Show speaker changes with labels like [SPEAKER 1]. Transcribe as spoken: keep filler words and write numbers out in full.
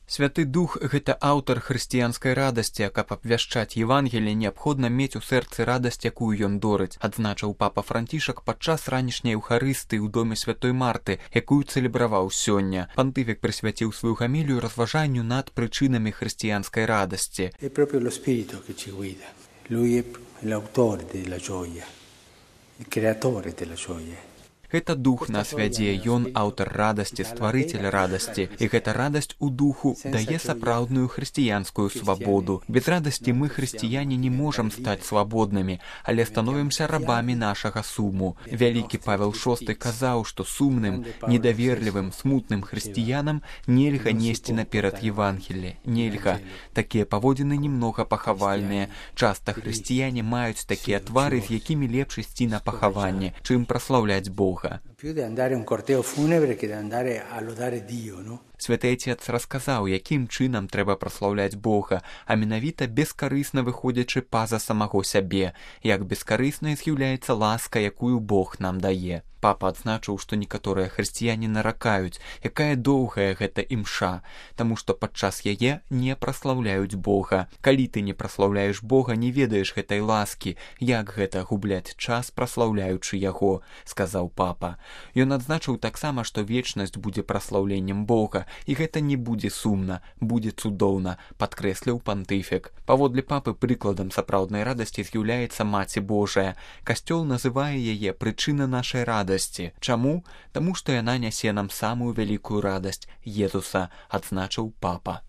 [SPEAKER 1] Святы Дух – гэта аўтар хрысціянскай радасці, а каб абвяшчаць Евангелие, неабходна мець у сэрцы радасць, якую ён дорыць, адзначыў папа Францішак падчас ранішняй эўхарыстыі ў доме святой Марты, якую цэлебраваў сёння. Пантыфік прысвяціў сваю гамілію разважанню над прычынамі хрысціянскай радасці.
[SPEAKER 2] È proprio lo spirito che ci guida. Lui è l'autore della gioia, il creatore della gioia.
[SPEAKER 1] Гэта дух нас вядзе, ён аўтар радасці, стварыцель радасці, і гэта радасць у духу дае сапраўдную хрысціянскую свабоду. Без радасці мы, хрысціяне, не можам стаць свабоднымі, але становімся рабамі нашага суму. Вялікі Павел шосты казаў, што сумным, недаверлівым, смутным хрысціянам нельга несці наперад Евангелие. Нельга. Такія паводзіны немнога пахавальныя. Часта хрысціяне маюць такія твары, з якімі лепш ісці на пахаванне, чым праслаўляць Бога.
[SPEAKER 2] Più di andare a un corteo funebre che di andare a lodare Dio, no?
[SPEAKER 1] Святы Отец расказаў, якім чынам трэба праслаўляць Бога, а менавіта бескарысна выходзячы па-за самого сябе, як бескарыснай з'яўляецца ласка, якую Бог нам дае. Папа адзначыў, што некаторыя хрысціяне наракаюць, якая доўгая гэта імша, таму што падчас яе не праслаўляюць Бога. Калі ты не праслаўляеш Бога, не ведаеш гэтай ласкі, як гэта губляць час, праслаўляючы яго, сказаў папа. Ён адзначыў таксама, што вечнасць будзе праслаўленнем Бога, і гэта не будзе сумна, будзе цудоўна, падкрэсліў пантыфік. Паводле папы прыкладам сапраўднай радасці з'яўляецца Маці Божая. Касцёл называе яе прычына нашай радасці. Чаму? Таму што яна нясе нам самую вялікую радасць Езуса, адзначыў папа.